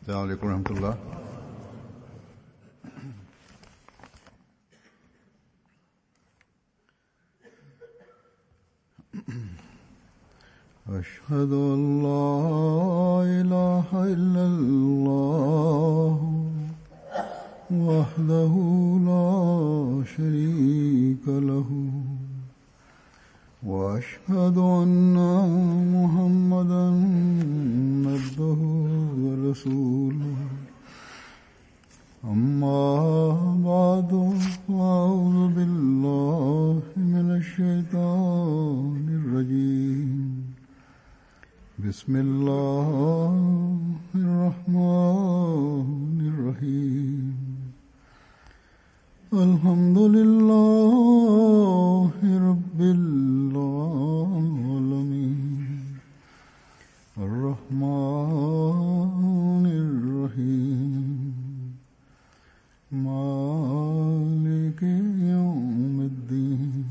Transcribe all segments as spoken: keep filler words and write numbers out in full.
السلام علیکم ورحمۃ اللہ. أشهد أن لا إله إلا الله وحده لا شريك له وأشهد أن محمدا عبده ورسوله. أما بعد فأعوذ بالله من الشيطان الرجيم. بسم الله الرحمن الرحيم. الحمد لله رب العالمين الرحمن الرحيم مالك يوم الدين.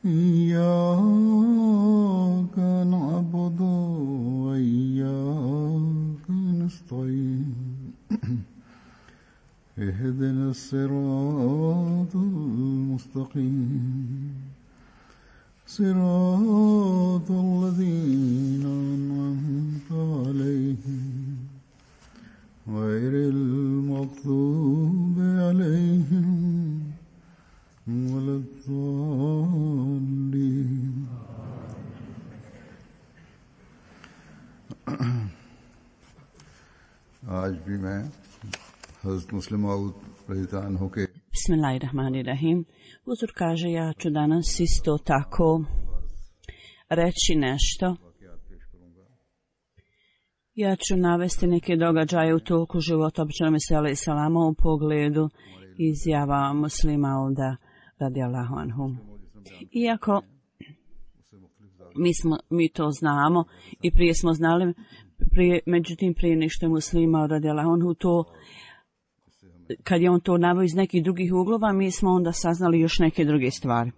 إياك نعبد وإياك نستعين. اهدنا الصراط المستقيم صراط الذين أنعمت عليهم غير المغضوب عليهم ولا الضالين. आज भी मैं हज़रत मुस्लिम मऊद रज़ियल्लाहु अन्हु के Bismillahirrahmanirrahim. Uzur kaže, ja ću danas isto tako reći nešto. Ja ću navesti neke događaje u toku života običnog Mesija alejhi selama u pogledu izjava Muslima Mauda radijallahu anhu. Iako mi, smo, mi to znamo i prije smo znali, prije, međutim prije nešto je Muslima radijallahu anhu to, kad je on to naveo iz nekih drugih uglova, mi smo onda saznali još neke druge stvari.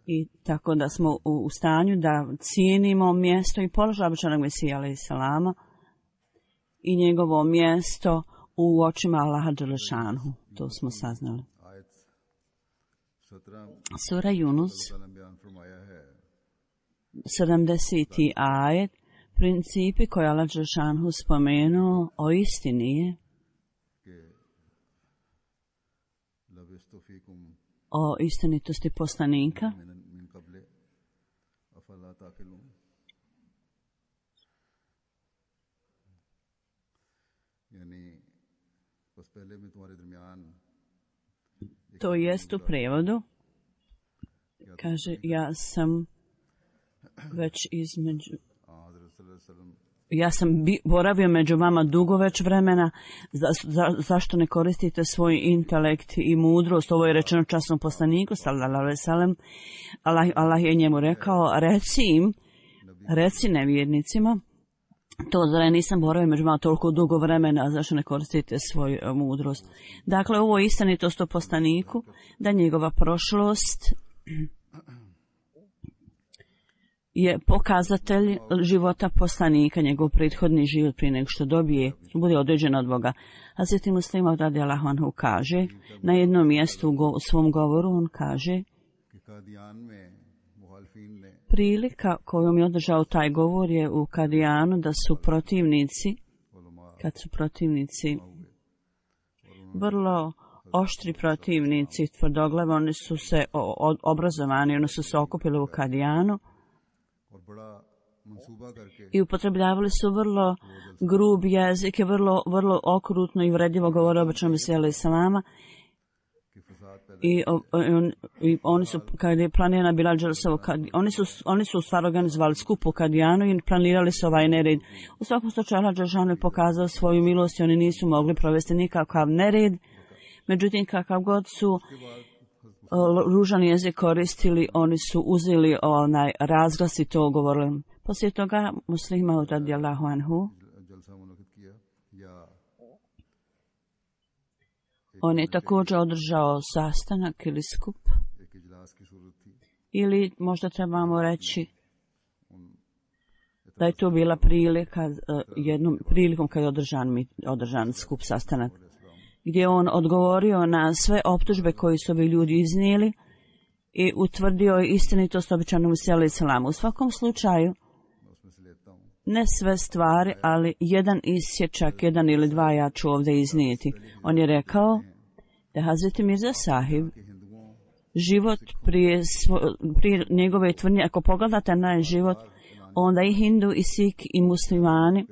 I tako da smo u, u stanju da cijenimo mjesto i položaj običnog Mesija alejhi selama i njegovo mjesto u očima Allaha dželešanhu. To smo saznali. Sura Yunus, sedamdeseti ajet, principi koje Allah dželešanhu spomenuo o istini je o istinitosti poslanika to jest u prevodu kaže ja sam već između ja sam bi, boravio među vama dugo već vremena, za, za, zašto ne koristite svoj intelekt i mudrost? Ovo je rečeno časnom poslaniku, sallallahu alejhi ve sellem. Allah, Allah je njemu rekao, reci im, reci nevjernicima, to zar ja nisam boravio među vama toliko dugo vremena, zašto ne koristite svoju uh, mudrost? Dakle, ovo je istinitost o poslaniku, da njegova prošlost je pokazatelj života poslanika, njegov prethodni život prije nego što dobije, bude određen od Boga. Hazreti Muslim Mauud radijallahu anhu kaže, na jednom mjestu u, go, u svom govoru on kaže, prilika kojom je održao taj govor je u Kadijanu da su protivnici, kad su protivnici vrlo oštri protivnici, tvrdoglave, oni su se o, obrazovani, oni su se okupili u Kadijanu i upotrebljavali su vrlo grub jezik i vrlo, vrlo okrutno i uvredljivo govore običnom Mesiji alejhi selama. I, on, i oni su, kad je planirana bila Đelsovo, oni su, oni su u stvari organizovali skup u Kadijanu i planirali su ovaj nered. U svakom slučaju Allah dželešanu je pokazao svoju milost i oni nisu mogli provesti nikakav nered. Međutim, kakav god su ružan jezik koristili, oni su uzeli onaj razglas i to govorili. Poslije toga Muslima Mauud radijallahu anhu, on je također održao sastanak ili skup ili možda trebamo reći da je to bila prilika, jednom prilikom kad je održan, održan skup sastanak, gdje on odgovorio na sve optužbe koje su ovi ljudi iznijeli i utvrdio je istinitost obećanog Mesija alejhi selam. U svakom slučaju, ne sve stvari, ali jedan isječak, jedan ili dva ja ću ovdje iznijeti. On je rekao da Hazreti Mirza Sahib život prije, svo, prije njegove tvrdnje, ako pogledate na život, onda i Hindu, i Sik, i muslimani,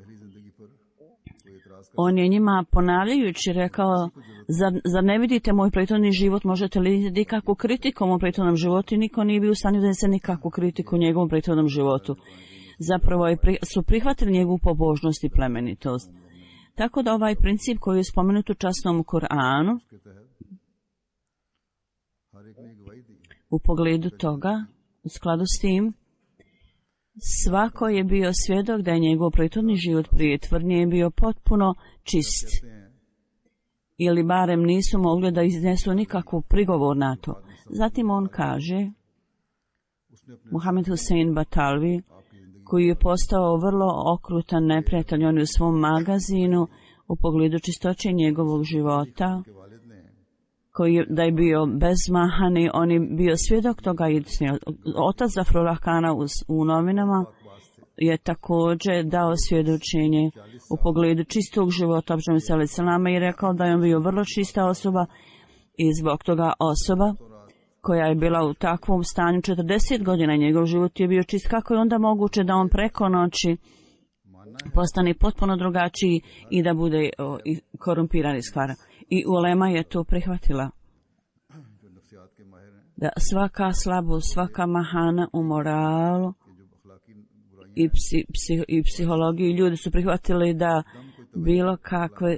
on je njima ponavljajući rekao, zar, zar ne vidite moj prethodni život, možete li vidjeti kakvu kritiku u mom prethodnom životu, i niko nije bio u stanju da ne se nikakvu kritiku u njegovom prethodnom životu. Zapravo je, su prihvatili njegovu pobožnost i plemenitost. Tako da ovaj princip koji je spomenut u časnom Kur'anu, u pogledu toga, u skladu s tim, svako je bio svjedok da je njegov prethodni život prije tvrdnje bio potpuno čist. Ili barem nisu mogli da iznesu nikakvu prigovor na to. Zatim on kaže, Muhammed Hussein Batalvi, koji je postao vrlo okrutan neprijatelj, on je u svom magazinu u pogledu čistoće njegovog života, koji je, da je bio bezmahani, on je bio svjedok toga. Otac Zafrullah Kana u, u novinama je također dao svjedočenje u pogledu čistog života obećanog Mesija alejhi selam i rekao da je on bio vrlo čista osoba i zbog toga osoba koja je bila u takvom stanju četrdeset godina, njegov život je bio čist. Kako je onda moguće da on preko noći postane potpuno drugačiji i da bude o, i korumpiran iz kvara? I ulema je to prihvatila. Da svaka slabost, svaka mahana u moralu i, psi, psi, i psihologiji, ljudi su prihvatili da bilo kakve,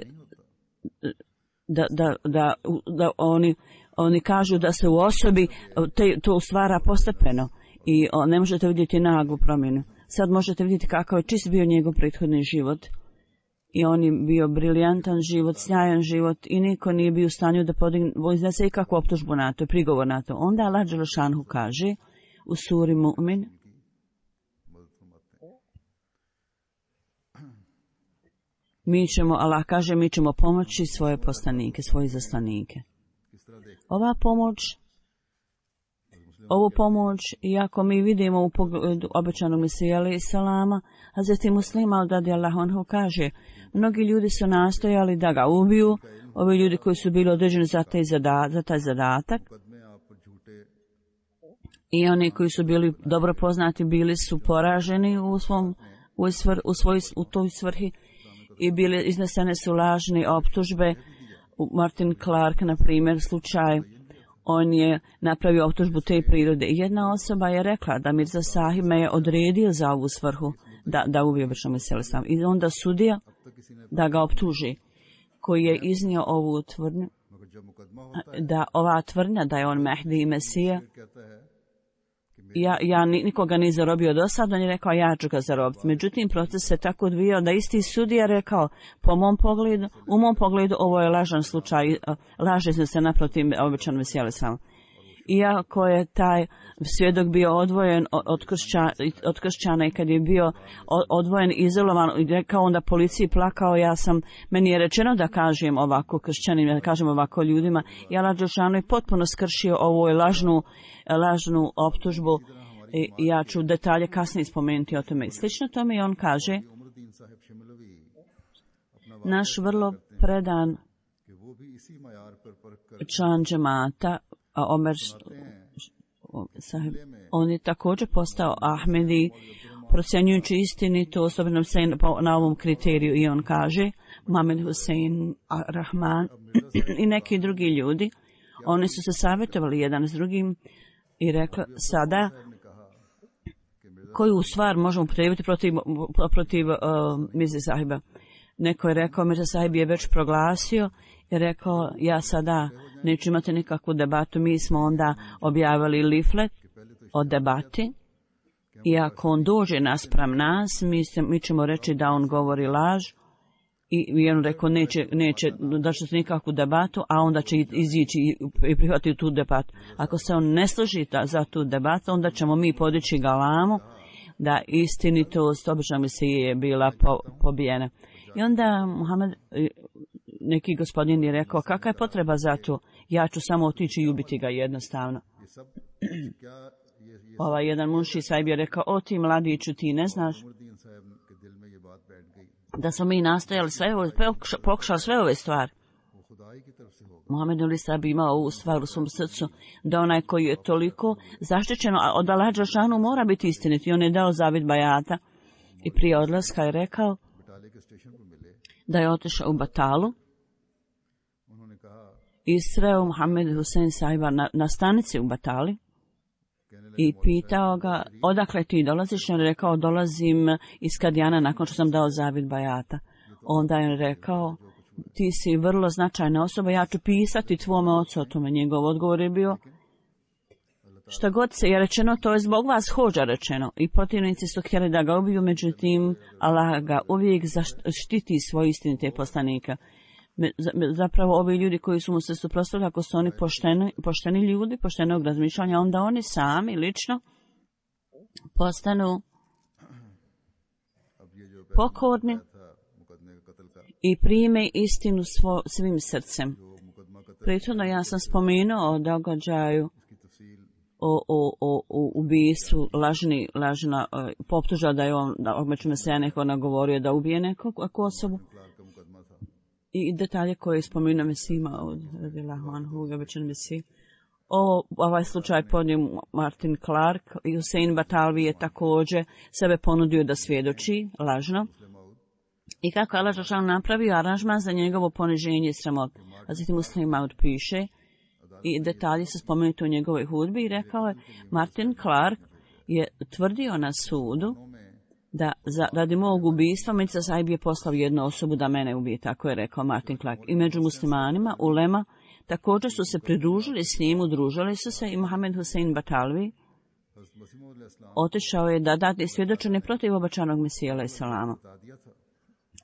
da, da, da, da oni, oni kažu da se u osobi te, to stvara postepeno i o, ne možete vidjeti naglu promjenu. Sad možete vidjeti kakav je čist bio njegov prethodni život. I on je bio briljantan život, sjajan život i niko nije bio u stanju da podigne, iznese ikakvu optužbu na to, prigovor na to. Onda Allah Đelešanhu kaže u suri Mu'min, mi ćemo, Allah kaže, mi ćemo pomoći svoje poslanike, svoje zaslanike. Ova pomoć, ovu pomoć, iako mi vidimo u pogledu obećanog Mesija alejhi selama, Hazreti Muslima radijallahu anhu kaže, mnogi ljudi su nastojali da ga ubiju, ovi ljudi koji su bili određeni za taj, zada, za taj zadatak, i oni koji su bili dobro poznati bili su poraženi u, svom, u, svr, u, svoj, u toj svrhi i bili, iznesene su lažne optužbe. Martin Clark, na primjer, slučaj, on je napravio optužbu te prirode. Jedna osoba je rekla da Mirza Sahib me je odredio za ovu svrhu, da, da ubije obećanog Mesija alejhi selam. I onda sudija da ga optuži, koji je iznio ovu tvrdnju, da ova tvrdnja da je on Mehdi i Mesija, ja, ja nikoga nije zarobio do sada, on je rekao ja ću ga zarobiti. Međutim, proces se tako odvijao da isti sudija rekao, po mom pogledu, u mom pogledu ovo je lažan slučaj, laže se naprotiv obećanog Mesija alejhi selam. Iako je taj svjedok bio odvojen od, kršća, od kršćana i kad je bio odvojen, izolovan, i rekao onda policiji, plakao, ja sam, meni je rečeno da kažem ovako kršćanima, da kažem ovako ljudima, i Allah Đelešanu je potpuno skršio ovu lažnu, lažnu optužbu i ja ću detalje kasnije spomenuti o tome. Slično tome i on kaže, naš vrlo predan član džemata, a Omer Sahib, on je također postao Ahmedi, procjenjujući istinito, osobno se na ovom kriteriju, i on kaže, Muhammed Hussein Rahman i neki drugi ljudi, oni su se savjetovali jedan s drugim i rekli, sada, koju stvar možemo upotrijebiti protiv, protiv uh, Mirze Sahiba. Neko je rekao, Mirza Sahib je već proglasio i rekao, ja sada neću imati nikakvu debatu. Mi smo onda objavili leaflet o debati i ako on dođe naspram nas, mi, se, mi ćemo reći da on govori laž I on rekao neće, neće da će se nikakvu debatu, a onda će izići i prihvatiti tu debatu. Ako se on ne složi za tu debatu, onda ćemo mi podići galamu da istinitost obična misije je bila po, pobijena. I onda Muhammed, neki gospodin je rekao, kakva je potreba za to? Ja ću samo otići i ubiti ga jednostavno. Ovaj jedan munši sahib je rekao, o ti mladiću, ti ne znaš da smo mi nastojali sve ove, pokušali sve ove stvari. Muhammed Ali Sahib imao ovu stvar u svom srcu, da onaj koji je toliko zaštićen od Allaha dželešanu mora biti istinit. I on je dao zavid bajata i prije odlaska je rekao da je otišao u Batalu i sreo Muhammed Husein Sahiba na, na stanici u Batali i pitao ga, odakle ti dolaziš? On je rekao, dolazim iz Kadijana nakon što sam dao zavid bajata. Onda je rekao, ti si vrlo značajna osoba, ja ću pisati tvome ocu o tome. Njegov odgovor je bio, šta god se je rečeno, to je zbog vas hođa rečeno. I protivnici su htjeli da ga ubiju, međutim, Allah ga uvijek zaštiti svoje istinite poslanika. Zapravo ovi ljudi koji su mu se suprotstavili, ako su oni pošteni, pošteni ljudi, poštenog razmišljanja, onda oni sami lično postanu pokorni i prime istinu svo, svim srcem. Prethodno ja sam spomenuo o događaju o, o, o, o ubijstvu, lažni, lažna, poptuža da je on, da obično se ja neko nagovorio da ubije nekog osobu. I detalje koje je spomenuo Mesima od Radijallahu anhu, običan Mesi. Ovo, ovaj slučaj podnio Martin Clark i Hussein Batalvi je također sebe ponudio da svjedoči lažno. I kako Allah dželešanu napravio aranžman za njegovo poniženje i sramot. A zatim Muslim Maud piše i detalji su spomenuti u njegovoj hudbi i rekao je Martin Clark je tvrdio na sudu da za, radi mog ubistva Mirza Sahib je poslao jednu osobu da mene ubije, tako je rekao Martin Clark. I među muslimanima, ulema, također su se pridružili s njim, udružili su se i Mohamed Hussein Batalvi otišao je da dade svjedočenje protiv obećanog Mesija alejhi selama.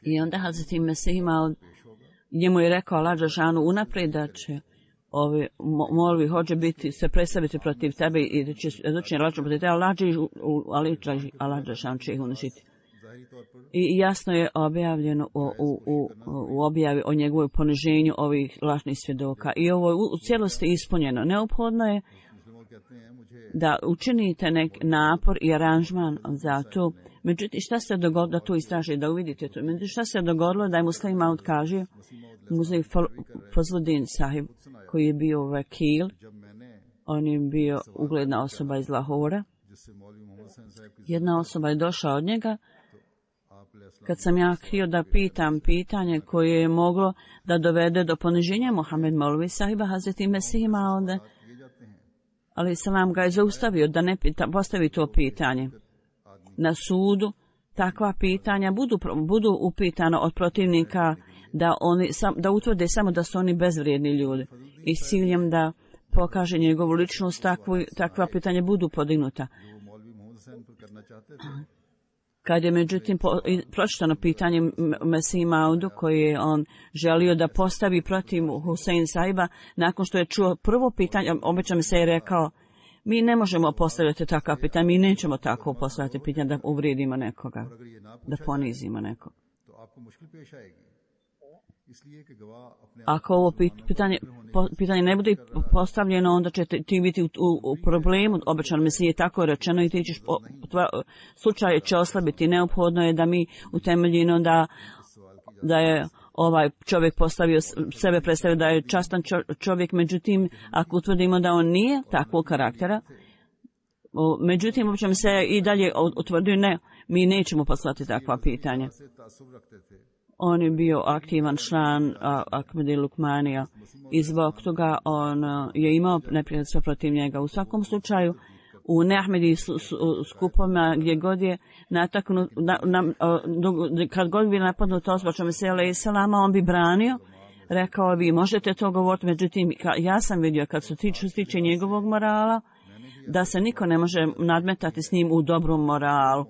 I onda Hazreti Mesih imao, njemu je rekao Allah dželešanu unaprijed da će ovi molvi hoće biti, se predstaviti protiv tebe i da će svjedočenje lažno protiv tebe, Allah dželešanu će ih uništiti. I jasno je objavljeno u, u, u, u objavi o njegovoj poniženju ovih lažnih svjedoka. I ovo je u cijelosti ispunjeno. Neophodno je da učinite nek napor i aranžman za to. Međutim, šta se dogodilo da to istraži, da uvidite to? Međutim, šta se dogodilo da je Muslim Maud kaže, Muzej Fazluddin Sahib, koji je bio vakil, on je bio ugledna osoba iz Lahora. Jedna osoba je došla od njega, kad sam ja htio da pitam pitanje koje je moglo da dovede do poniženja Mohamed Maulvi Sahiba, Hazreti Mesih ima onda, ali selam ga je zaustavio da ne pita, postavi to pitanje. Na sudu takva pitanja budu, budu upitana od protivnika da, oni, sam, da utvrde samo da su oni bezvrijedni ljudi i s ciljem da pokaže njegovu ličnost, takvu, takva pitanja budu podignuta. Kad je međutim po, pročitano pitanje Mesih Maudu koje je on želio da postavi protiv Husein Sahiba, nakon što je čuo prvo pitanje, obično mi se je rekao, mi ne možemo postavljati takva pitanja, mi nećemo tako postavljati pitanja da uvrijedimo nekoga, da ponizimo nekoga. Ako ovo pitanje, pitanje ne bude postavljeno, onda će ti biti u, u, u problemu, obično mi se je tako rečeno i ti ćeš, tvoja, slučaj će oslabiti. Neophodno je da mi utemeljimo da, da je ovaj čovjek postavio sebe, predstavio da je častan čovjek, međutim, ako utvrdimo da on nije takvog karaktera, međutim, uopće se i dalje utvrdio, ne, mi nećemo poslati takva pitanja. On je bio aktivan član Ahmedi Lukmanija i zbog toga on je imao neprijateljstva protiv njega. U svakom slučaju, u neahmedi skupovima gdje god je nataknut, na, na, kad god bi napadnut osoba Mesija alejhi selama, on bi branio, rekao vi možete to govoriti, međutim ja sam vidio kad su tiču stiče njegovog morala, da se niko ne može nadmetati s njim u dobrom moralu.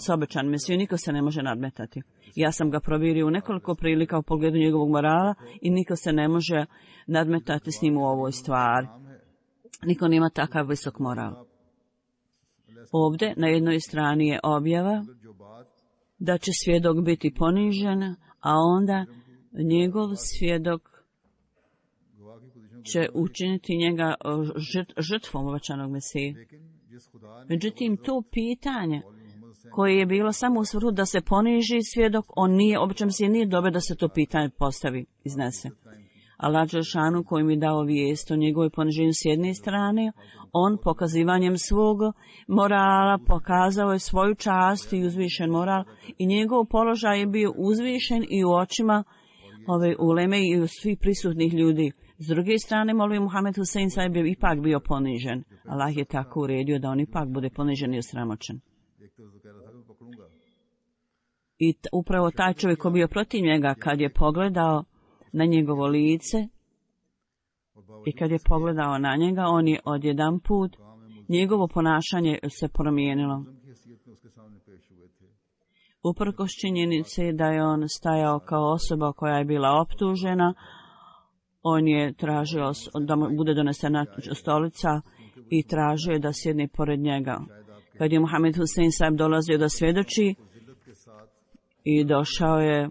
s obećan Mesiju, niko se ne može nadmetati. Ja sam ga provjerio u nekoliko prilika u pogledu njegovog morala i niko se ne može nadmetati s njim u ovoj stvari. Niko nema takav visok moral. Ovdje na jednoj strani je objava da će svjedok biti ponižen, a onda njegov svjedok će učiniti njega žrtvom obećanog Mesije. Međutim, to pitanje koje je bilo samo u svrhu da se poniži svjedok, on nije, obično Mesije nije dobro da se to pitanje postavi, iznese. Allah Đelešanu koji mi dao vijest o njegovoj poniženju s jedne strane, on pokazivanjem svog morala pokazao je svoju čast i uzvišen moral i njegov položaj je bio uzvišen i u očima ove uleme i u svih prisutnih ljudi. S druge strane, molvi Muhammed Husein sahib je ipak bio ponižen. Allah je tako uredio da on ipak bude ponižen i osramoćen. I t- upravo taj čovjek koji je bio protiv njega, kad je pogledao na njegovo lice i kad je pogledao na njega, on je odjedan put, njegovo ponašanje se promijenilo. Uprkos činjenice da je on stajao kao osoba koja je bila optužena, on je tražio da mu bude donesena stolica i tražio da sjedne pored njega. Kad je Muhammed Husein sahib dolazio da svjedoči i došao je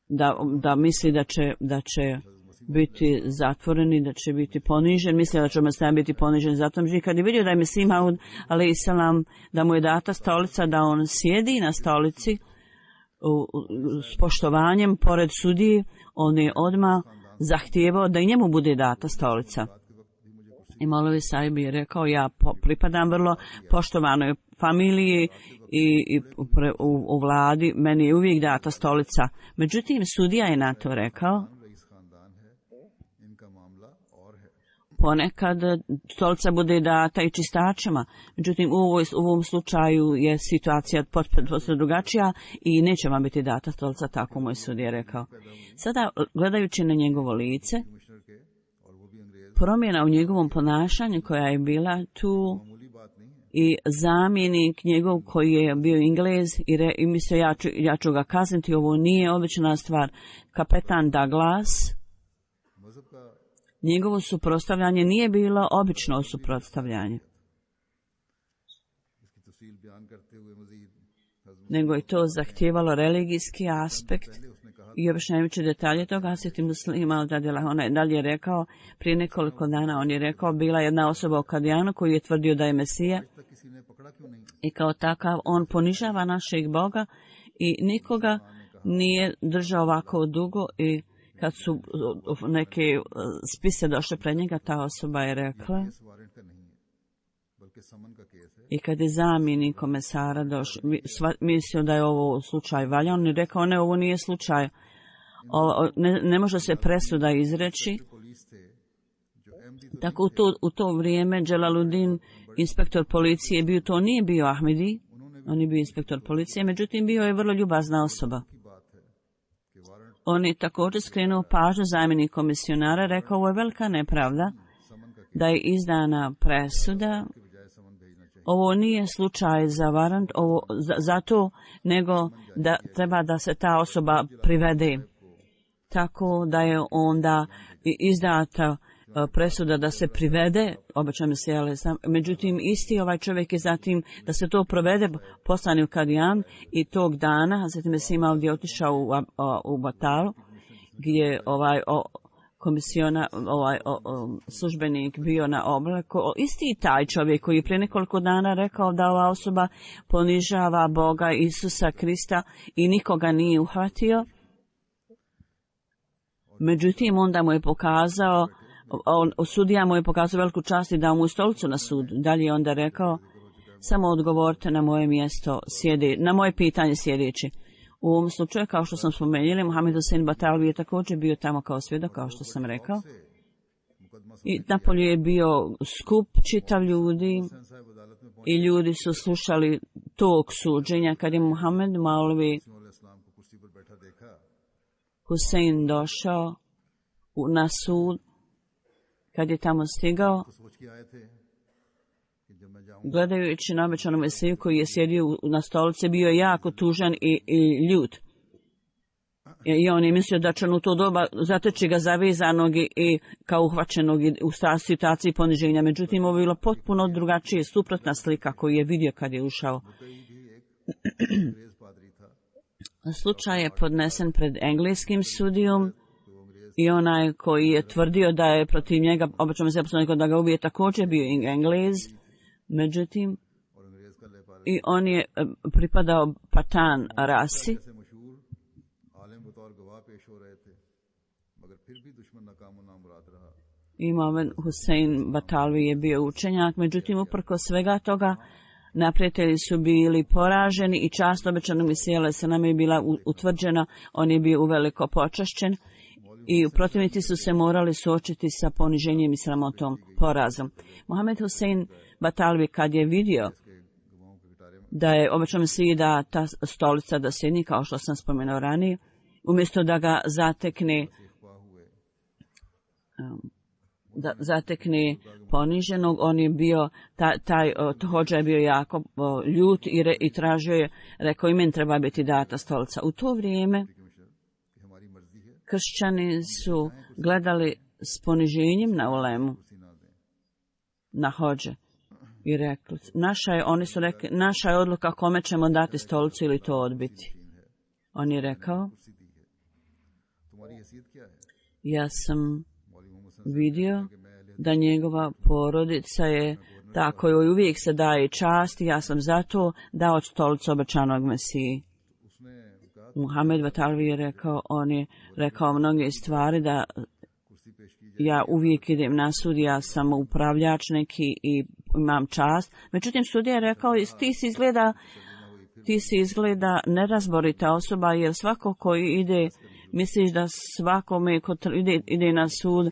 da, da misli da će, da će biti zatvoreni, da će biti ponižen, mislio da će Mesija biti ponižen. Zato kad je vidio da je Mesih Maud alejhi selam, da mu je data stolica, da on sjedi na stolici u, u, s poštovanjem pored sudije, on je odmah zahtijevao da i njemu bude data stolica. I Molovi sahib je rekao, ja po, pripadam vrlo poštovanoj familiji i, i u, u vladi, meni je uvijek data stolica. Međutim, sudija je na to rekao, ponekad stolica bude data i čistačima. Međutim, u, ovoj, u ovom slučaju je situacija potpuno drugačija i neće vam biti data stolica, tako moj sudija je rekao. Sada, gledajući na njegovo lice, promjena u njegovom ponašanju koja je bila tu i zamjenik njegov koji je bio Englez i, re, i mislio ja ću, ja ću ga kazniti, ovo nije obična stvar. Kapetan Douglas, njegovo suprotstavljanje nije bilo obično suprotstavljanje, nego je to zahtijevalo religijski aspekt i objašnjavajući detalje toga. Asjeti Muslima on je dalje rekao, prije nekoliko dana on je rekao, bila jedna osoba u Kadijanu koji je tvrdio da je Mesija i kao takav on ponižava našeg Boga i nikoga nije držao ovako dugo. I kad su neke spise došle pred njega, ta osoba je rekla, i kad je zamjenik komesara došao, mislio da je ovo slučaj valja, on je rekao, ne, ovo nije slučaj, o, ne, ne može se presuda izreći. Tako u to, u to vrijeme Jalaluddin, inspektor policije, bio, to nije bio Ahmedi, on je bio inspektor policije, međutim bio je vrlo ljubazna osoba. On je također skrenuo pažnju zamjenik komisionara, rekao, ovo je velika nepravda da je izdana presuda. Ovo nije slučaj za varant, ovo za, zato, nego da treba da se ta osoba privede. Tako da je onda izdata presuda da se privede, obično se jele sam, međutim isti ovaj čovjek je zatim da se to provede, poslani u Kadijan i tog dana, zatim se imao gdje otišao u, u Batalu, gdje ovaj o, komisiona, ovaj o, o, službenik bio na oblaku, isti taj čovjek koji je prije nekoliko dana rekao da ova osoba ponižava Boga Isusa Krista i nikoga nije uhvatio. Međutim, onda mu je pokazao, on, sudija mu je pokazao veliku čast i dao mu stolicu na sud. Dalje je onda rekao, samo odgovorite na moje mjesto, sjede, na moje pitanje sjedeći. U ovom slučaju, kao što sam spomenuli, Muhammed Husein Batalvi je također bio tamo kao svjedok, kao što sam rekao. I napolju je bio skup čitav ljudi i ljudi su slušali tog suđenja kad je Muhammed Maulvi Husein došao na sud. Kad je tamo stigao, gledajući na obećanog Mesiju koji je sjedio na stolici, bio je jako tužan i, i ljut. I on je mislio da će u to doba zateći ga zavezanog i, i kao uhvaćenog u situaciji poniženja. Međutim, ovo je bilo potpuno drugačije, suprotna slika koju je vidio kad je ušao. Slučaj je podnesen pred engleskim sudijom i onaj koji je tvrdio da je protiv njega, obećao se da ga ubije, također bio Englez. Međutim, i on je pripadao Patan rasi. Imam Husein Batalvi je bio učenjak, međutim, uprko svega toga, neprijatelji su bili poraženi i čast obećanog Mesija se nam je bila utvrđena, on je bio uveliko počašćen i protivnici su se morali suočiti sa poniženjem i sramotom, porazom. Mohamed Husein Batalvi kad je vidio da je obećao Mesiji da ta stolica da sjedni, kao što sam spomenuo ranije, umjesto da ga zatekne da zatekne poniženog, on je bio, taj, taj hođa je bio jako o, ljut i, re, i tražio je, rekao i meni treba biti data stolica. U to vrijeme kršćani su gledali s poniženjem na ulemu, na hođe i rekli, naša je, oni su rekli, naša je odluka kome ćemo dati stolicu ili to odbiti. On je rekao, ja sam vidio da njegova porodica je ta kojoj uvijek se daje čast i ja sam zato dao stolicu obećanog Mesiji. Muhammed Batalvi je rekao, on je rekao mnoge stvari da ja uvijek idem na sud, ja sam upravljač neki i imam čast. Međutim, sudija je rekao, ti si izgleda, ti si izgleda nerazborita osoba, jer svako koji ide, misliš da svakome ko ide, ide na sud,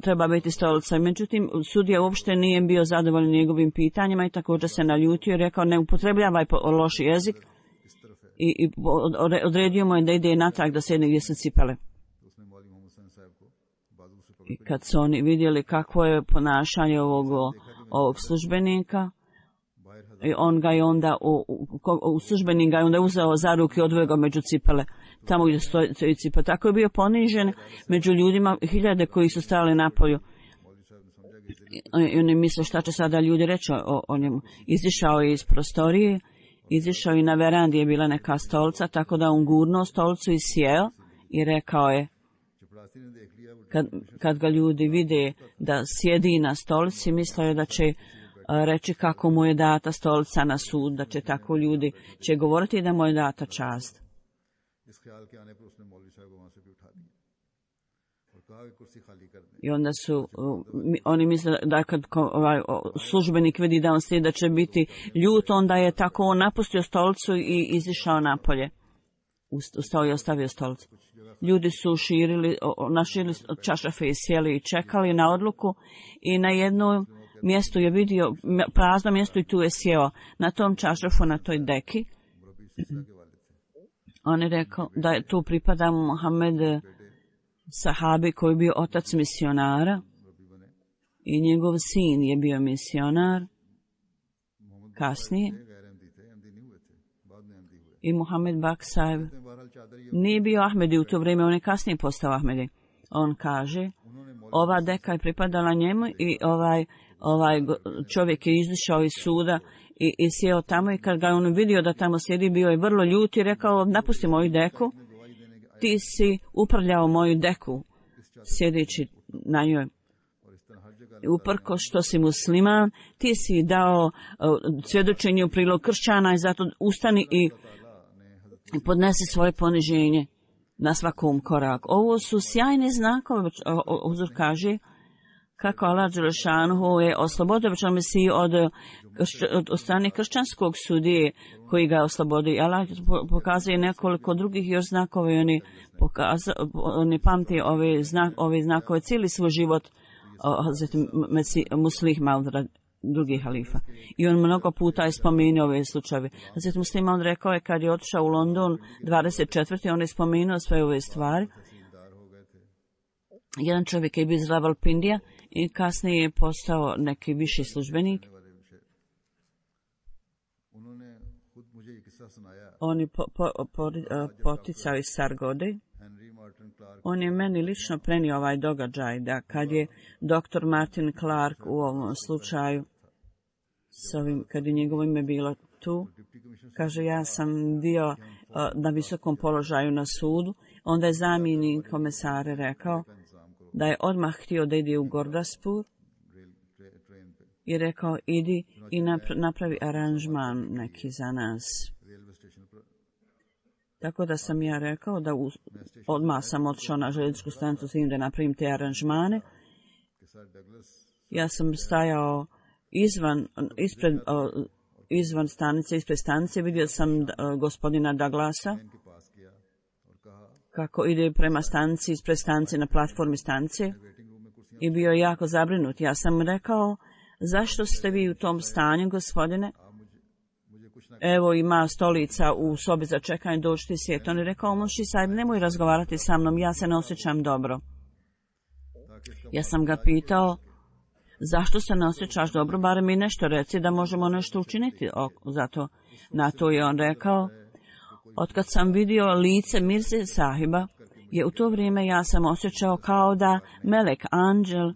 treba biti stolica. Međutim, sudija uopšte nije bio zadovoljan njegovim pitanjima i također se naljutio i rekao, ne upotrebljavaj loš jezik i, i odredio mu je da ide natrag da sjedne gdje se cipele. I kad su oni vidjeli kakvo je ponašanje ovog, ovog službenika, i on ga je onda, u, u, u službenik ga je onda uzeo za ruke i odveo ga među cipele, tamo gdje stoji cipele. Tako je bio ponižen među ljudima, hiljade koji su stali napolju. I oni misle šta će sada ljudi reći o, o njemu. Izišao je iz prostorije, izišao i na verandi je bila neka stolica, tako da on gurnuo stolicu i sjeo i rekao je, kad, kad ga ljudi vide da sjedi na stolici, mislio je da će reći kako mu je data stolica na sud, da će tako ljudi će govoriti da mu je data čast. I onda su, oni misle da kad ovaj, službenik vidi da on sjedi da će biti ljut, onda je tako on napustio stolicu i izišao napolje. Ustao i ostavio stolicu. Ljudi su širili, naširili čašafe i sjeli i čekali na odluku i na jednom mjestu je vidio prazno mjesto i tu je sjeo na tom čašafu, na toj deki. On je rekao da je tu pripada Mohamed sahabi koji je bio otac misionara i njegov sin je bio misionar kasnije. I Mohamed Baksajev nije bio Ahmedi u to vrijeme, on je kasnije postao Ahmedi. On kaže, ova deka je pripadala njemu i ovaj, ovaj čovjek je izišao iz suda i, i sjeo tamo i kad ga on vidio da tamo sjedi, bio je vrlo ljut i rekao, napusti moju deku, ti si upravljao moju deku, sjedeći na njoj. Uprko što si musliman, ti si dao uh, svjedočenje u prilog kršćana i zato ustani i podnesi svoje poniženje na svakom koraku. Ovo su sjajne znakove, uzor kaže, kako Allah Đelešanu je oslobodio Mesiju od, od, od strane kršćanskog sudije koji ga oslobodi. Allah pokazuje nekoliko drugih još znakova i oni, pokaza, oni pamti ove, znak, ove znakove cijeli svoj život Muslih Maud, drugih halifa. I on mnogo puta je spomenuo ove slučajeve. Hazret Muslih Maud rekao je kad je otišao u London dvadeset četvrte on je spomenuo sve ove stvari. Jedan čovjek je bio iz Ravalpindija i kasnije je postao neki viši službenik. on je po, po, po, poticao iz Sargode. On je meni lično prenio ovaj događaj, da kad je doktor Martin Clark u ovom slučaju, s ovim, kad je njegovo ime bilo tu, kaže, ja sam bio uh, na visokom položaju na sudu, onda je zamjenik komesare rekao da je odmah htio da ide u Gordaspur i rekao, idi i napravi aranžman neki za nas. Tako da sam ja rekao da u, odmah sam otišao na željezničku stanicu s tim da napravim te aranžmane. Ja sam stajao izvan, ispred, izvan stanice, ispred stanice, vidio sam gospodina Douglasa kako ide prema stanici, ispred stanice, na platformi stanice i bio je jako zabrinut. Ja sam rekao, zašto ste vi u tom stanju, gospodine? Evo ima stolica u sobi za čekanje, dođite sjet. On je rekao, Munši Sahib, nemoj razgovarati sa mnom, ja se ne osjećam dobro. Ja sam ga pitao, zašto se ne osjećaš dobro, barem mi nešto reci da možemo nešto učiniti. O, zato na to je on rekao, otkad sam vidio lice Mirze Sahiba, je u to vrijeme ja sam osjećao kao da melek, anđel,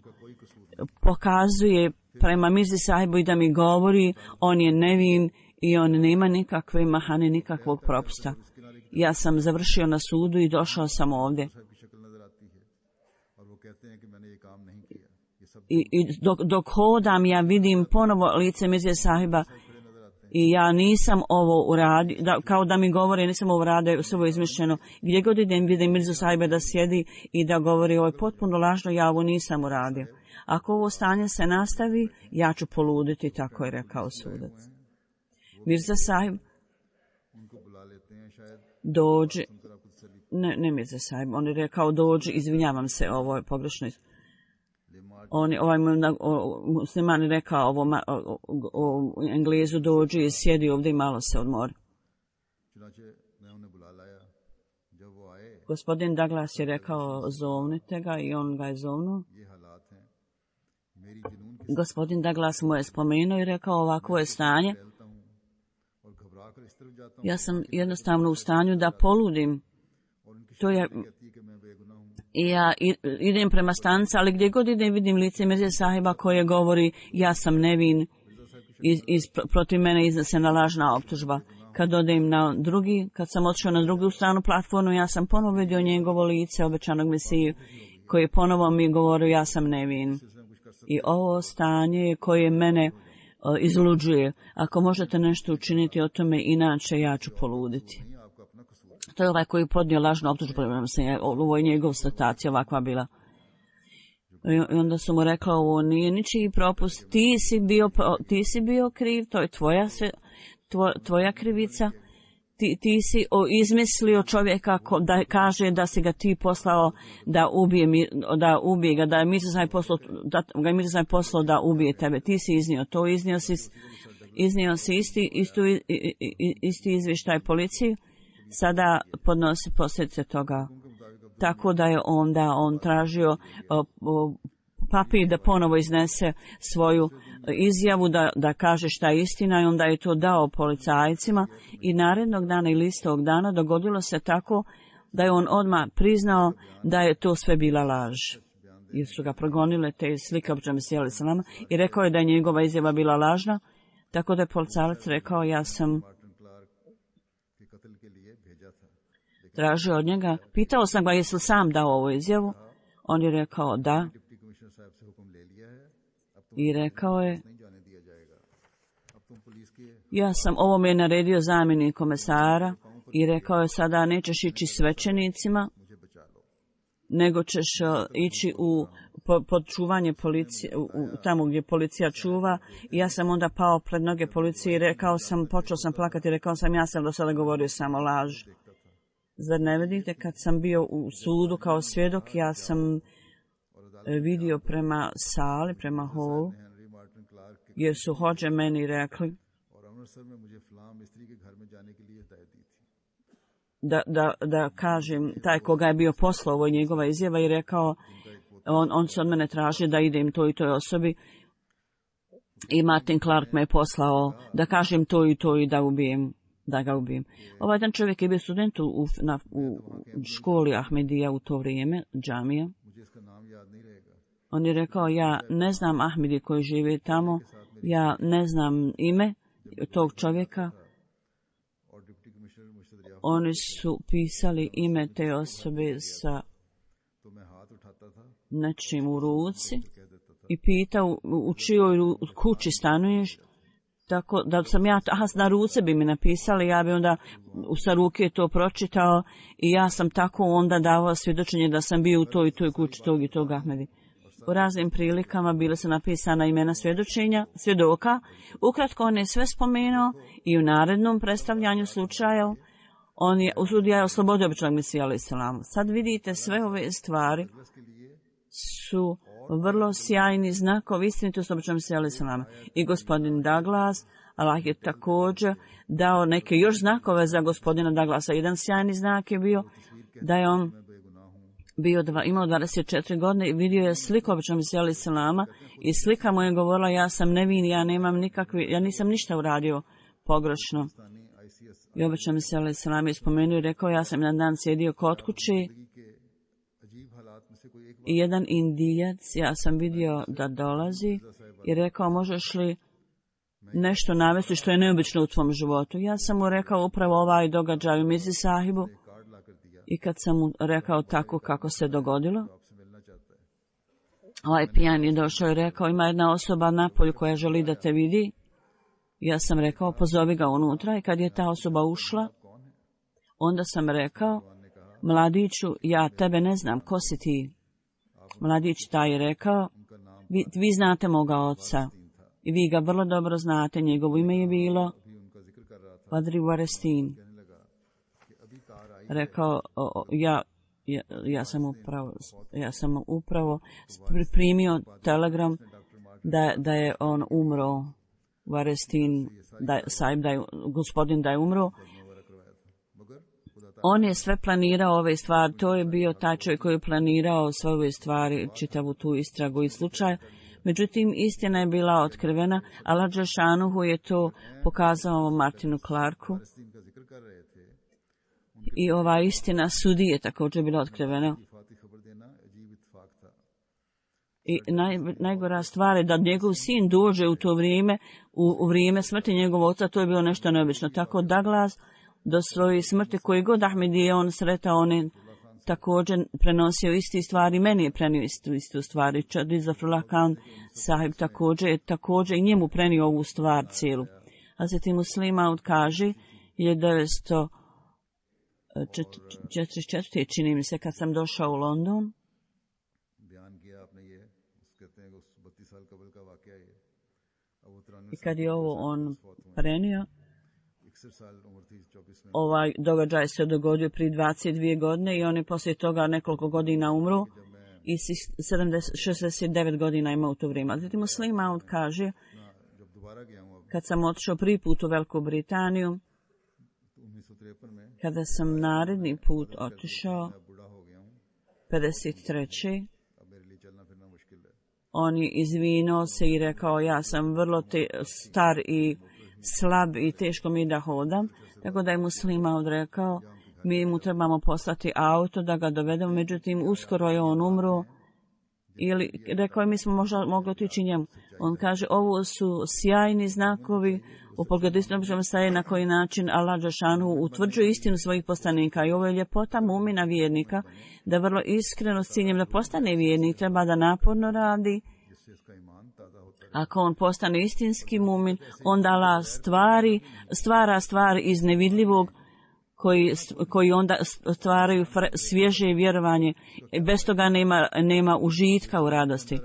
pokazuje prema Mirzi Sahibu i da mi govori, on je nevin i on nema nikakve mahane, nikakvog propusta. Ja sam završio na sudu i došao sam ovdje. I, i dok, dok hodam, ja vidim ponovo lice Mirze Sahiba i ja nisam ovo uradio, da, kao da mi govore, nisam ovo uradio, sve ovo izmišljeno. Gdje god idem, vidim Mirzu Sahiba da sjedi i da govori, ovo je potpuno lažno, ja ovo nisam uradio. Ako ovo stanje se nastavi, ja ću poluditi, tako je rekao sudac. Mirza Sahib dođi, ne, ne Mirza Sahib, on je rekao dođi, izvinjavam se, ovo je pogrešno. On je, ovaj musliman je rekao ovo o, o, o, o Englezu dođi i sjedi ovdje i malo se odmori. Gospodin Douglas je rekao zovnite ga i on ga je zovnuo. Gospodin Douglas mu je spomenuo i rekao ovako je stanje. Ja sam jednostavno u stanju da poludim. To je, i ja idem prema stanici, ali gdje god idem vidim lice Mirze Sahiba koje govori ja sam nevin, iz, iz, protiv mene iznesena lažna optužba. Kad odem na drugi, kad sam otišao na drugu stranu platformu, ja sam ponovo vidio njegovo lice obećanog Mesiju koji ponovo mi govori ja sam nevin. I ovo stanje koje mene o, izluđuje. Ako možete nešto učiniti o tome, inače ja ću poluditi. To je ovaj koji podnio lažnu optužbu, ovo je njegov statacija ovakva bila. I onda su mu rekla, ovo nije ničiji propust, ti si bio, ti si bio kriv, to je tvoja, tvoja, tvoja krivica. Ti, ti si o, izmislio čovjeka ko, da kaže da si ga ti poslao da ubije, da ubije ga, da je Mirza Sahib poslao, da ga je Mirza Sahib poslao da ubije tebe. Ti si iznio to, iznio si, iznio si isti, istu, isti izvještaj policiji, sada podnosi posljedice toga. Tako da je onda on tražio o, o, papir da ponovo iznese svoju izjavu, da, da kaže šta je istina i onda je to dao policajcima i narednog dana ili istog dana dogodilo se tako da je on odmah priznao da je to sve bila laž. Jer su ga progonile te slike običajno sjeli sa nama i rekao je da je njegova izjava bila lažna, tako da je policajac rekao ja sam tražio od njega, pitao sam ga jesi li sam dao ovu izjavu, on je rekao da. I rekao je, ja sam, ovo mi je naredio zamjenik komesara i rekao je sada nećeš ići svećenicima, nego ćeš ići u pod čuvanje policije, u, u, tamo gdje policija čuva. I ja sam onda pao pred noge policije i rekao sam, počeo sam plakati i rekao sam ja sam do sada govorio samo laž. Zar ne vidite, kad sam bio u sudu kao svjedok, ja sam vidio prema sali, prema holu, jer su hođe meni rekli da, da, da kažem, taj koga je bio poslao, ovo je njegova izjava i rekao, on, on se od mene traži da idem toj i toj osobi i Martin Clark me je poslao da kažem to i to i da ubijem da ga ubijem. Ovaj jedan čovjek je bio student u, na, u školi Ahmedija u to vrijeme, džamija. On je rekao, ja ne znam Ahmedi koji žive tamo, ja ne znam ime tog čovjeka. Oni su pisali ime te osobe sa nečim u ruci i pitao u čijoj kući stanuješ, tako da sam ja, aha, na ruce bi mi napisali, ja bi onda sa ruke to pročitao i ja sam tako onda davao svjedočenje da sam bio u toj i toj kući tog i tog Ahmedi. U raznim prilikama bile su napisana imena svjedočenja, svjedoka. Ukratko on je sve spomenuo i u narednom predstavljanju slučaja on je, sudija je oslobodio običnog Mesija alejhi selam. Sad vidite, sve ove stvari su vrlo sjajni znakovi istinitosti običnog Mesija alejhi selam. I gospodin Douglas, Allah je također dao neke još znakove za gospodina Douglasa. Jedan sjajni znak je bio da je on bio dva, imao dvadeset četiri godine i vidio je sliku običnog Mesija alejhi selama i slika mu je govorila, ja sam nevin, ja nemam nikakvi, ja nisam ništa uradio pogrešno. I običnog Mesija alejhi selam je spomenuo i rekao, ja sam jedan dan sjedio kod kuće i jedan Indijac, ja sam vidio da dolazi i rekao, možeš li nešto navesti što je neobično u tvom životu? Ja sam mu rekao upravo ovaj događaj u Mirzi Sahibu i kad sam mu rekao tako kako se dogodilo, ovaj pijan je došao i rekao, ima jedna osoba napolju koja želi da te vidi. Ja sam rekao, pozovi ga unutra i kad je ta osoba ušla, onda sam rekao, mladiću, ja tebe ne znam, ko si ti? Mladić taj je rekao, vi, vi znate moga oca i vi ga vrlo dobro znate, njegovo ime je bilo Vadri Varestin. Rekao, o, ja, ja, ja sam upravo, ja sam upravo primio telegram da, da je on umro, Varestin, da, Saib, da je, gospodin da je umro. On je sve planirao ove stvari, to je bio taj čovjek koji je planirao sve ove stvari, čitavu tu istragu i slučaj. Međutim, istina je bila otkrivena, Allah dželšanuhu je to pokazao Martinu Clarku. I ova istina sudije je također bila otkrivena. I naj, najgora stvar je da njegov sin dođe u to vrijeme, u, u vrijeme smrti njegovog oca, to je bilo nešto neobično. Tako Douglas do svoje smrti, koji god Ahmedije on sretao, on je također prenosio isti stvari, meni je prenio istu, istu stvari. Čadri Zafrullah Khan sahib također je također i njemu prenio ovu stvar cijelu. Hazreti Muslima kaže, devetsto četrdeset četvrte čini mi se kad sam došao u London, i kad je ovo on prenio, ovaj događaj se dogodio prije dvadeset dvije godine i on je poslije toga nekoliko godina umro i šezdeset devet godina ima u to vrijeme. Zatim Muslim Maud kaže, kad sam otišao prvi put u Veliku Britaniju, kada sam naredni put otišao, pedeset treće on je izvinuo se i rekao, ja sam vrlo te, star i slab i teško mi da hodam, tako da je Muslima odrekao, mi mu trebamo poslati auto da ga dovedemo, međutim uskoro je on umro, ili rekao je mi smo možda mogli otići njemu. On kaže, ovo su sjajni znakovi u pogledu istinom staje na koji način Allah dželšanuhu utvrđuje istinu svojih poslanika i ovo je ljepota mumina vjernika, da vrlo iskreno s ciljem da postane vjernik treba da naporno radi. Ako on postane istinski mumin, onda Allah stvari, stvara stvar iz nevidljivog koji, koji onda stvaraju svježe vjerovanje. Bez toga nema, nema užitka u radosti.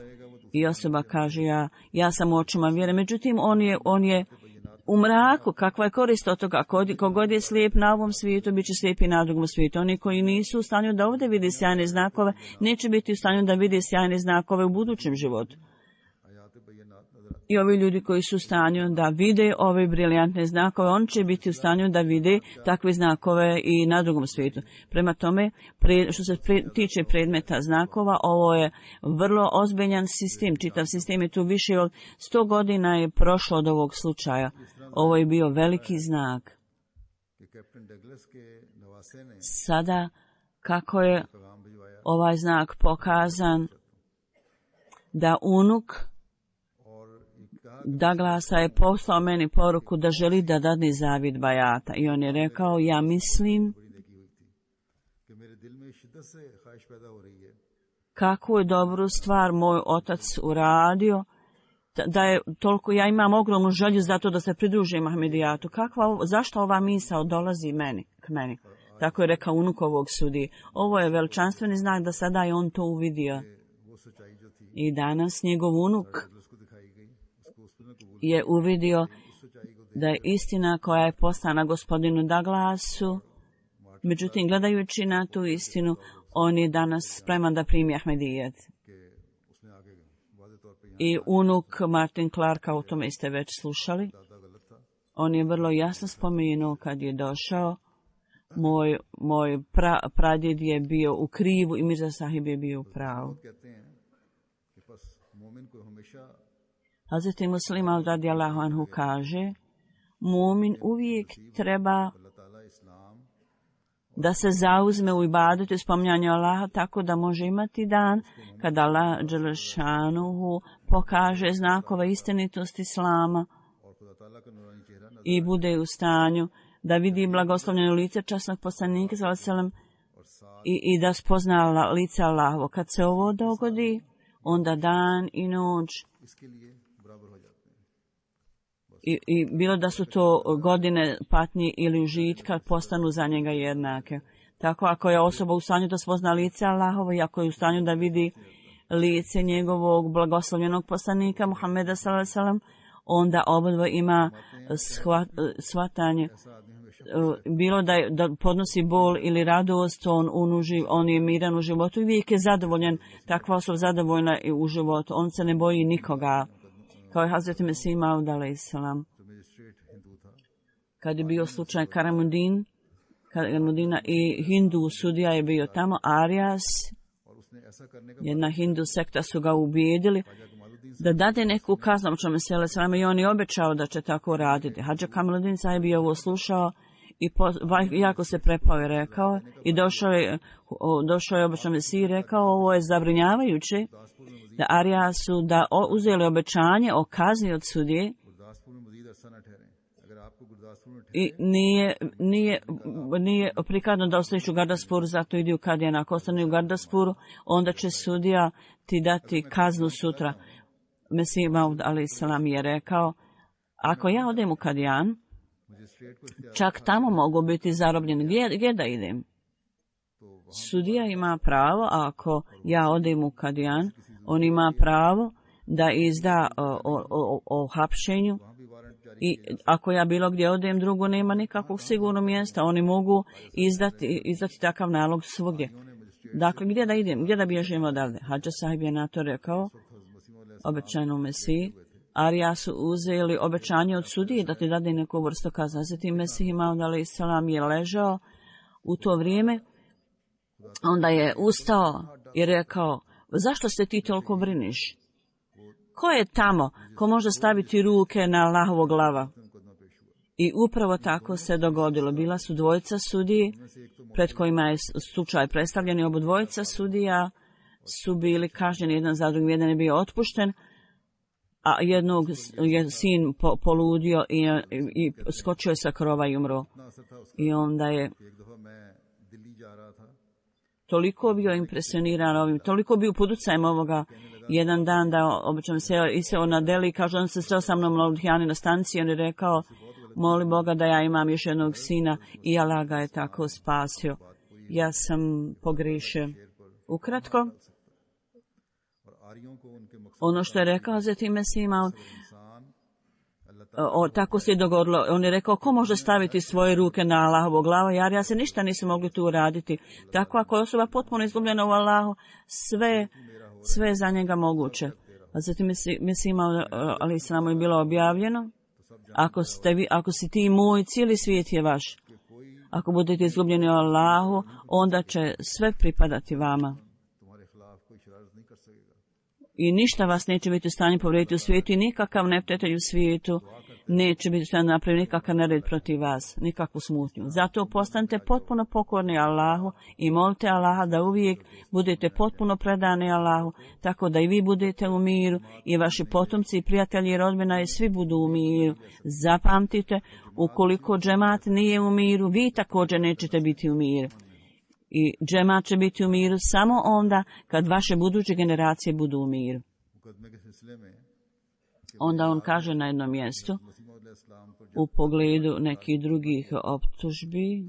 I osoba kaže, ja, ja sam u očima vjere. Međutim, on je, on je u mraku. Kakva je korist od toga? Kogod je slijep na ovom svijetu, bit će slijep i na drugom svijetu. Oni koji nisu u stanju da ovdje vidi sjajne znakove, neće biti u stanju da vidi sjajne znakove u budućem životu. I ovi ljudi koji su u stanju da vide ove briljantne znakove, on će biti u stanju da vide takve znakove i na drugom svijetu. Prema tome, pre, što se pre, tiče predmeta znakova, ovo je vrlo ozbiljan sistem. Čitav sistem je tu više od sto godina je prošlo od ovog slučaja. Ovo je bio veliki znak. Sada, kako je ovaj znak pokazan, da unuk Douglasa je poslao meni poruku da želi da dadne zavid bajata. I on je rekao, ja mislim kakvu je dobru stvar moj otac uradio, da je toliko, ja imam ogromnu želju za to da se pridružim Ahmedijatu. Kakva, zašto ova misao dolazi meni, k meni? Tako je rekao unuk ovog sudije. Ovo je veličanstveni znak da sada je on to uvidio. I danas njegov unuk je uvidio da je istina koja je poslana gospodinu Douglasu. Međutim, gledajući na tu istinu, on je danas spreman da primi Ahmedijet. I unuk Martin Clarka, o tome ste već slušali, on je vrlo jasno spomenuo kad je došao, moj, moj pra, pradjed je bio u krivu i Mirza Sahib je bio u pravu. Hazreti Muslim Maud radijallahu anhu kaže, mumin uvijek treba da se zauzme u ibadetu i spominjanju Allaha tako da može imati dan kada Allah dželešanuhu pokaže znakove istinitosti Islama i bude u stanju da vidi blagoslovljeno lice časnog poslanika sallallahu alejhi ve sellem i, i da spozna lice Allahovo. Kad se ovo dogodi, onda dan i noć I, i bilo da su to godine patnje ili užitka, postanu za njega jednake. Tako ako je osoba u stanju da spozna lice Allahovo i ako je u stanju da vidi lice njegovog blagoslovljenog poslanika Muhameda sallallahu alejhi ve sellem, onda obadva ima shvat, shvatanje. Bilo da, je, da podnosi bol ili radost, on, on, uživ, on je miran u životu i uvijek je zadovoljen, takva osoba zadovoljna i u životu. On se ne boji nikoga. Kao je Hazreti Mesih Maud alejselam. Kad je bio slučaj Karamudin, Karamudina i Hindu sudija je bio tamo, Arias, jedna Hindu sekta su ga ubijedili da dade neku kaznu, i on je obećao da će tako raditi. Hadža Kamaluddin Sahib je ovo slušao i po, jako se prepao i rekao, i došao je, došao je obećao Mesih i rekao, ovo je zabrinjavajuće, da Ariasu da uzeli obećanje o kazni od sudije i nije, nije, nije prikladno da ostaneš u Gardaspuru, zato idi u Kadijan. Ako ostane u Gardaspuru, onda će sudija ti dati kaznu sutra. Mesih Maud alejselam je rekao, ako ja odem u Kadijan, čak tamo mogu biti zarobljeni. Gdje, gdje da idem? Sudija ima pravo, ako ja odem u Kadijan, on ima pravo da izda o, o, o, o hapšenju i ako ja bilo gdje odem drugo, nema nikakvog sigurnog mjesta. Oni mogu izdati, izdati takav nalog svugdje. Dakle, gdje da idem? Gdje da bježim odavde? Hadža Sahib je na to rekao, obećajno Mesiji. Arija su uzeli obećanje od sudije da ti dade neku vrstu kazne. Zatim Mesih Maud alejselam je ležao u to vrijeme. Onda je ustao i rekao, zašto se ti toliko briniš? Ko je tamo ko može staviti ruke na Allahovog glava? I upravo tako se dogodilo. Bila su dvojica sudiji pred kojima je slučaj predstavljen i oba dvojica sudija su bili kažnjeni jedan za drugim. Jedan je bio otpušten, a jednog je sin po, poludio i, i, i skočio je sa krova i umro. I onda je toliko bio impresioniran ovim, toliko bio pod utjecajem ovoga jedan dan da obično se iseo na Deli i kaže, on se sreo sa mnom na Ludhijani na stanciji, on je rekao, moli Boga da ja imam još jednog sina i Allah ga je tako spasio. Ja sam pogriješio. Ukratko, ono što je rekao Hazreti Mesih Maud, O, tako se i dogodilo. On je rekao, ko može staviti svoje ruke na Allahovu glavu? Jer ja se ništa nisu mogli tu uraditi. Tako ako je osoba potpuno izgubljena u Allahu, sve, sve je za njega moguće. A zatim Mesih Maud alejselam je bilo objavljeno, ako, ste vi, ako si ti moj, cijeli svijet je vaš. Ako budete izgubljeni u Allahu, onda će sve pripadati vama. I ništa vas neće biti u stanju povrijediti u svijetu i nikakav neprijatelj u svijetu neće biti sve napraviti nikakav nered protiv vas, nikakvu smutnju. Zato postanite potpuno pokorni Allahu i molite Allaha da uvijek budete potpuno predani Allahu, tako da i vi budete u miru i vaši potomci i prijatelji i rodbina i svi budu u miru. Zapamtite, ukoliko džemat nije u miru, vi također nećete biti u miru. I džemat će biti u miru samo onda kad vaše buduće generacije budu u miru. Onda on kaže na jednom mjestu u pogledu nekih drugih optužbi,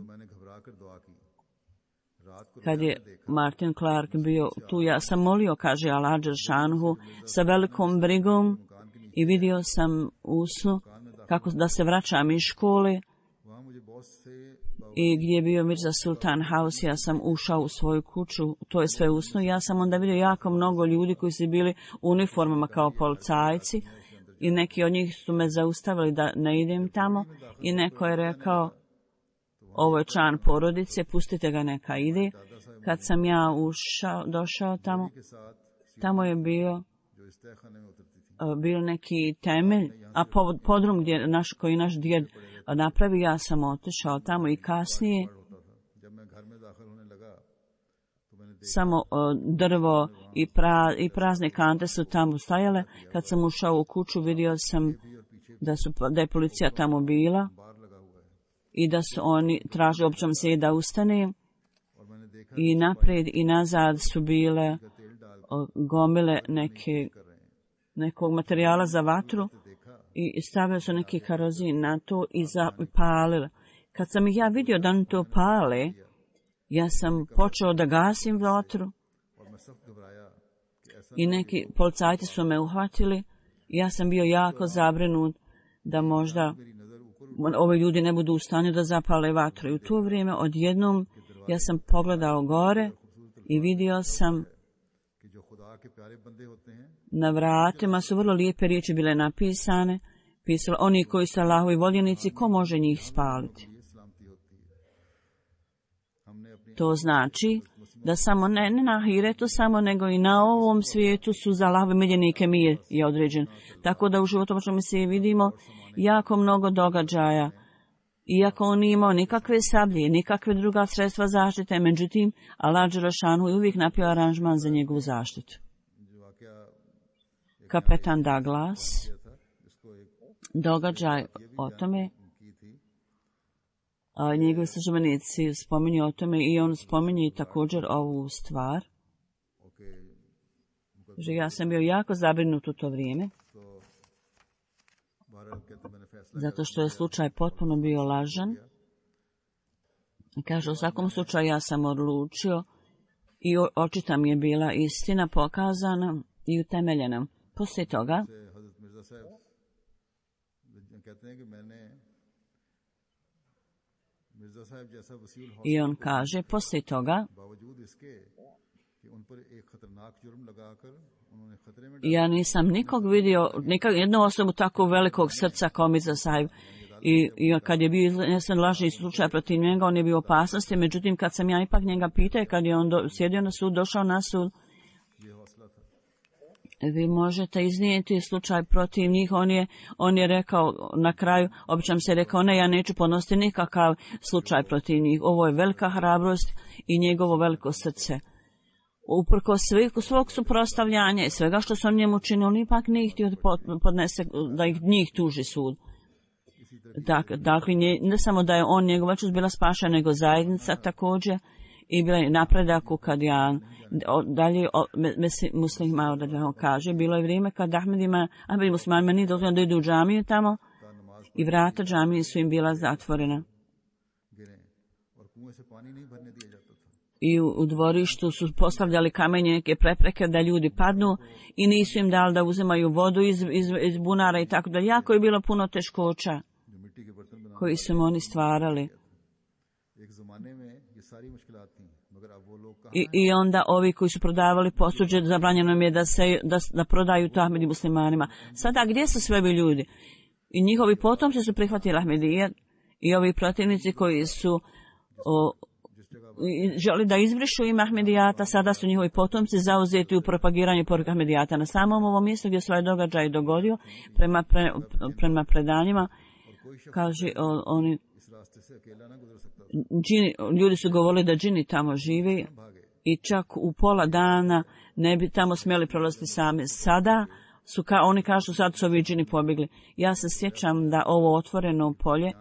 kad je Martin Clark bio tu, ja sam molio, kaže Allah dželšanuhu, sa velikom brigom i vidio sam u snu kako da se vraćam iz škole i gdje je bio Mirza Sultan House, ja sam ušao u svoju kuću, to je sve u snu. Ja sam onda vidio jako mnogo ljudi koji su bili u uniformama kao policajci i neki od njih su me zaustavili da ne idem tamo i neko je rekao, ovo je član porodice, pustite ga neka ide. Kad sam ja ušao, došao tamo, tamo je bio bio neki temelj, a podrum gdje naš, koji naš djed napravi, ja sam otišao tamo i kasnije samo drvo i, pra, i prazne kante su tamo stajale. Kad sam ušao u kuću, vidio sam da, su, da je policija tamo bila i da su oni tražili općom se da ustane i naprijed i nazad su bile gomile neke, nekog materijala za vatru i stavili su neki karozin na to i zapalili. Kad sam ih ja vidio da oni to pale, ja sam počeo da gasim vatru i neki policajci su me uhvatili. Ja sam bio jako zabrinut da možda ovi ljudi ne budu u stanju da zapale vatru. I u to vrijeme odjednom ja sam pogledao gore i vidio sam na vratima su vrlo lijepe riječi bile napisane. Pisalo, oni koji su Allahovi voljenici, ko može njih spaliti? To znači da samo ne, ne na ahiretu samo, nego i na ovom svijetu su za Allahove miljenike mir je određen. Tako da u životu možemo se vidimo jako mnogo događaja. Iako on nije imao nikakve sablje, nikakve druga sredstva zaštite, međutim, Allah dželešanu je uvijek napravio aranžman za njegovu zaštitu. Kapetan Douglas, događaj o tome, a njegovi službenici spominju o tome i on spominje također ovu stvar. Že ja sam bio jako zabrinut u to vrijeme, zato što je slučaj potpuno bio lažan. Kaže, u svakom slučaju ja sam odlučio i očita mi je bila istina pokazana i utemeljena. Poslije toga, i on kaže, poslije toga, ja nisam nikog vidio, nikak, jednu osobu tako velikog srca kao Mirza Sahib. I, i kad je bio iznesen lažni slučaj protiv njega, on je bio u opasnosti. Međutim, kad sam ja ipak njega pitao, kad je on do, sjedio na sud, došao na sud, vi možete iznijeti slučaj protiv njih. On je, on je rekao na kraju, obično se rekao, ne, ja neću podnositi nikakav slučaj protiv njih. Ovo je velika hrabrost i njegovo veliko srce. Uprko svog suprotstavljanja i svega što su on njemu činili, ipak nije htio podnese, da ih njih tuži sud. Dakle, ne samo da je on njegova čust bila spašena, nego zajednica također i bila je napredak u Kadijan. Dalje Muslim Maud kaže, bilo je vrijeme kad Ahmedima, Ahmed muslimanima nije dozvoljeno da idu u džamiju tamo i vrata džamije su im bila zatvorena. I u, u dvorištu su postavljali kamenje, neke prepreke da ljudi padnu i nisu im dali da uzimaju vodu iz, iz, iz bunara i tako da. Jako je bilo puno teškoća koji su oni stvarali. I, I onda ovi koji su prodavali posuđe, zabranjeno im je da, se, da, da prodaju to Ahmedi muslimanima. Sada gdje su sve ovi ljudi? I njihovi potomci su prihvatili Ahmedije i ovi protivnici koji su o, želi da izbrišu ime Ahmedijata, sada su njihovi potomci zauzeti u propagiranju poruka Ahmedijata. Na samom ovom mjestu gdje se ovaj događaj dogodio, prema, pre, prema predanjima, kaže o, oni, džini, ljudi su govorili da džini tamo žive i čak u pola dana ne bi tamo smjeli prolaziti sami. Sada su, ka, oni kažu, sad su ovi džini pobjegli. Ja se sjećam da ovo otvoreno polje,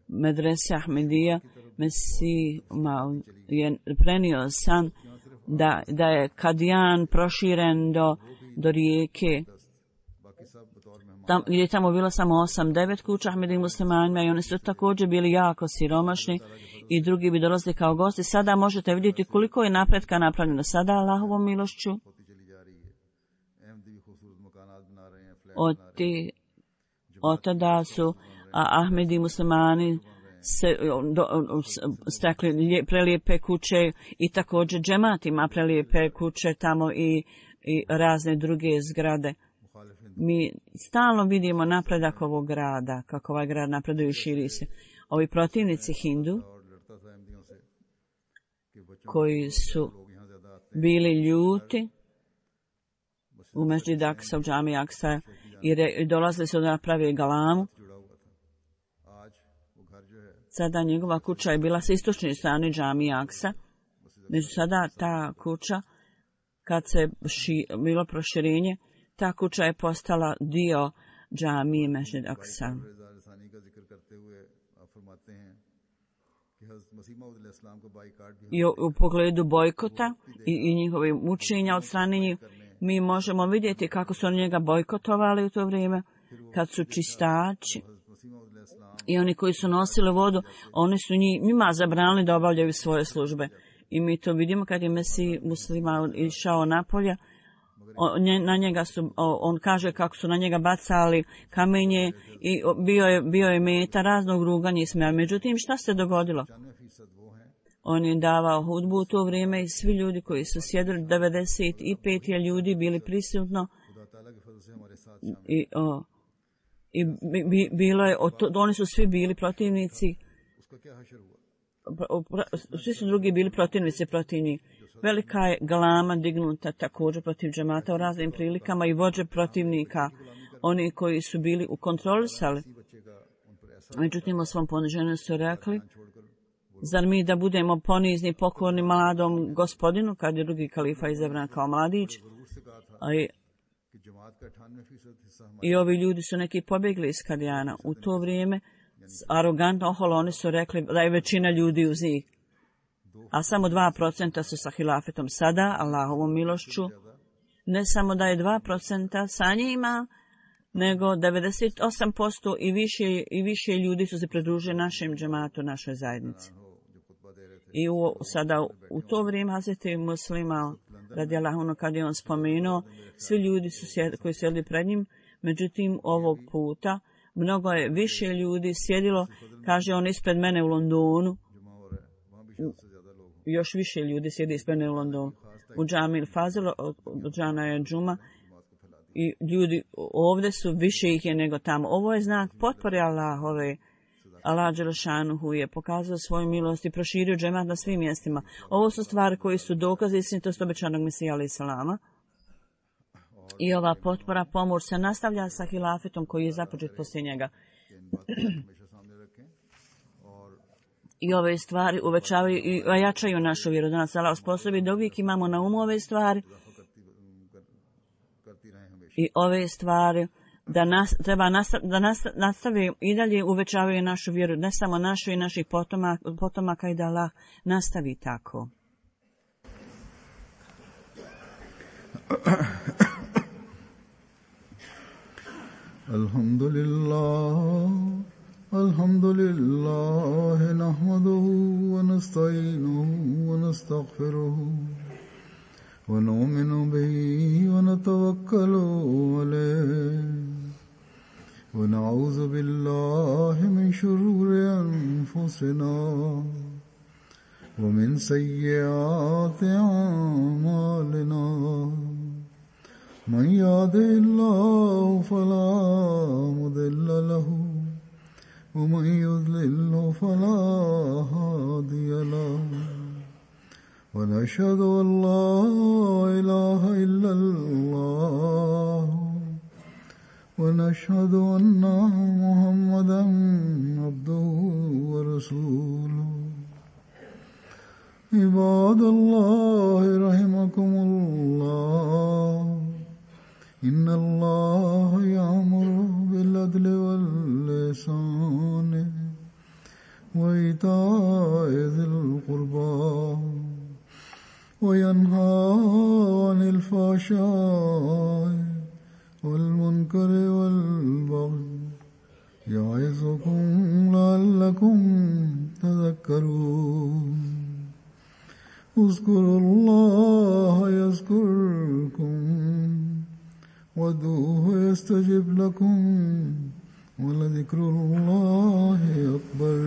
Medrese Ahmedija, Mesih je prenio san da, da je Kadijan proširen do, do rijeke. Tam, gdje je tamo bilo samo osam devet kuća Ahmedija muslimanima i oni su također bili jako siromašni i drugi bi dolazili kao gosti. Sada možete vidjeti koliko je napretka napravljeno. Sada Allahovom milošću od, ti, od tada su a Ahmedi muslimani se do, stekli prelijepe kuće i također džemat ima prelijepe kuće tamo i, i razne druge zgrade. Mi stalno vidimo napredak ovog grada, kako ovaj grad napreduje i širi se. Ovi protivnici Hindu, koji su bili ljuti u Mesdžid Aksa, u džami Aksa, i, re, i dolazili su da napravi galamu. Sada njegova kuća je bila sa istočne strane džami Aksa. Među sada ta kuća, kad se ši, bilo proširenje, ta kuća je postala dio džamije Mesdžid Aksa. I u, u pogledu bojkota i, i njihovih mučenja od strane njih, mi možemo vidjeti kako su oni njega bojkotovali u to vrijeme, kad su čistači i oni koji su nosili vodu, oni su njima zabranili da obavljaju svoje službe. I mi to vidimo kad je Mesih muslima išao napolje, na njega su, on kaže kako su na njega bacali kamenje i bio je, bio je meta raznog ruganja i smeja. Međutim, šta se dogodilo? On je davao hudbu u to vrijeme i svi ljudi koji su sjedili, devedeset pet je ljudi bili prisutno i, o, i bi, bilo je, to, oni su svi bili protivnici, svi su drugi bili protivnici protiv njih. Velika je galama dignuta također protiv džemata u raznim prilikama i vođe protivnika, oni koji su bili u kontrolisali. Međutim, o svom poniženju su rekli, zar mi da budemo ponizni, pokorni mladom gospodinu, kad je drugi kalifa izabran kao mladić. I, I ovi ljudi su neki pobjegli iz Kadijana. U to vrijeme, arogantno oholo, oni su rekli da je većina ljudi uz njih. A samo dva procenta su sa hilafetom. Sada, Allahovom milošću, ne samo da je dva procenta sa njima, nego devedeset osam posto i više, i više ljudi su se pridružili našem džematu, našoj zajednici. I u, sada u to vrijeme Hazreti Muslima, radijallahu anhu, kad je on spomenuo, svi ljudi su sjed, koji sjedili pred njim, međutim ovog puta mnogo je više ljudi sjedilo, kaže on, ispred mene u Londonu, još više ljudi sjedi ispred mene u Londonu, u džami Fazil, u džana je džuma, i ljudi ovdje su, više ih je nego tamo. Ovo je znak potpore Allahove. Allah Đelešanuhu je pokazao svoju milost i proširio džemat na svim mjestima. Ovo su stvari koji su dokazi istinitosti obećanog Mesija alejhi selama. I ova potpora, pomoć se nastavlja sa hilafetom koji je započet poslije njega. I ove stvari uvećavaju i ojačaju našu vjeru. Da nas Allah osposobi da uvijek imamo na umu ove stvari. I ove stvari da nas, treba nastav, da nastav, nastave i dalje uvećavaju našu vjeru, ne samo našu i naših potomaka, potomaka i da Allah nastavi tako. Alhamdulillah, alhamdulillah, nahmaduhu wa nasta'inuhu wa nastaghfiruhu. ونؤمن به ونتوكل عليه ونعوذ بالله من شرور أنفسنا ومن سيئات أعمالنا من يهده الله فلا مضل له ومن يضلل فلا هادي له ونشهد أن لا إله إلا الله ونشهد أن محمدا عبده ورسوله عباد الله رحمكم الله إن الله يأمر بالعدل والإحسان وإيتاء ذي القربى وينهى عن الفحشاء والمنكر والبغي يعظكم لعلكم تذكرون اذكروا الله يذكركم وادعوه يستجب لكم ولذكر الله أكبر.